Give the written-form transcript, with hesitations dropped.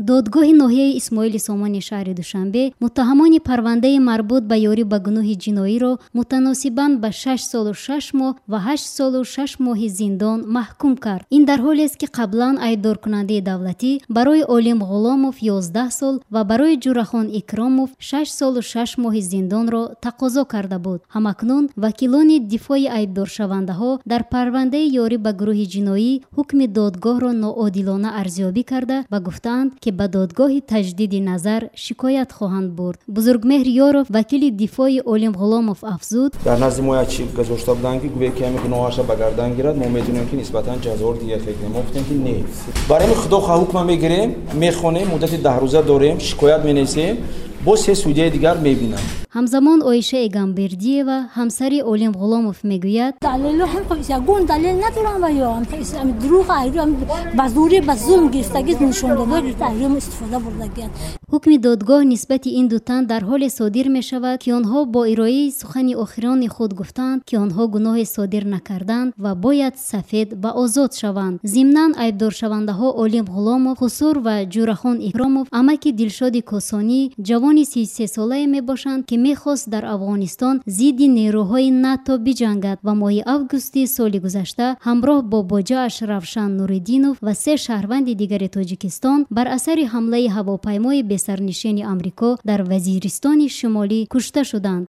Додгоҳи ноҳияи Исмоили Сомони шаҳри Душанбе муттаҳамони парвандаи марбут ба ёрӣ ба гуноҳи ҷиноиро мутаносибан ба 6 солу 6 моҳ ва 8 солу 6 моҳи зиндон маҳкум кард. Ин дар ҳолест, ки қаблан айбдоркунандаи давлатӣ барои Олим Ғуломов 11 сол ва барои Ҷурахон Икромов 6 солу 6 моҳи зиндонро тақозо карда буд. Ҳамакнун вакилони дифои айбдоршавандаҳо дар парвандаи ёрӣ ба гурӯҳи ҷиноӣ ҳукми додгоҳро ноодилона арзёбӣ карда ва гуфтаанд, ки ба додгоҳи таҷдиди назар шикоят хоҳанд бурд. Бузургмеҳр Ёров, вакили дифои Олим Ғуломов, афзуд: Дар назди мо як чи гузошта буданд, ки гӯе ки ҳами гуноҳаша ба гардан гирад, мо медонем, ки нисбатан ҷазоро дигар фекунем. Мо гуфтем, ки не, барои ҳамин худо хоҳ ҳукма мегирем, мехонем, муддати 10 рӯза дорем, шикоят менависем, боз се судяи дигар мебинам. Ҳамзамон Оиша Эгамбердиева, ҳамсари Олим Ғуломов, мегӯяд: Далело ягон далел надорам ва ё дурӯғ, ба зӯрӣ, ба зулм гирифтагӣ, нишондода гирифта, айрӯм истифода бурдагианд. Ҳукми додгоҳ нисбати ин ду тан дар ҳоле содир мешавад, ки онҳо бо ироаи сухани охирони худ гуфтаанд, ки онҳо гуноҳе содир накарданд ва бояд сафед ва озод шаванд. Зимнан айбдоршавандаҳо Олим Ғуломов, Хусур ва Ҷурахон Икромов амаки Дилшоди Косонӣ, ҷавони 33-солае мебошанд, ки мехост дар Афғонистон зидди нерӯҳои НАТО биҷангад ва моҳи августи соли гузашта ҳамроҳ бо боҷааш Равшан Нуриддинов ва се шаҳрванди дигари Тоҷикистон бар асари ҳамлаи ҳавопаймои бесарнишини Амрико дар Вазиристони Шимолӣ кушта шуданд.